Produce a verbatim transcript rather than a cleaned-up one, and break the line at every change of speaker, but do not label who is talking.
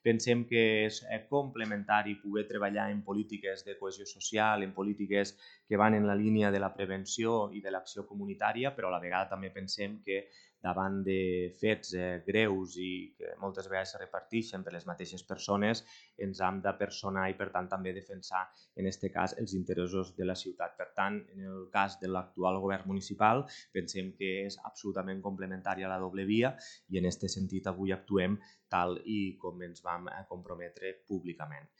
pensem que és complementari poder treballar en polítiques de cohesió social, en polítiques que van en la línia de la prevenció i de l'acció comunitària, però a la vegada també pensem que davant de fets eh, greus i que moltes vegades es reparteixen per les mateixes persones, ens hem de personar i, per tant, també defensar, en aquest cas, els interessos de la ciutat. Per tant, en el cas de l'actual govern municipal, pensem que és absolutament complementària a la doble via i, en aquest sentit, avui actuem tal i com ens vam comprometre públicament.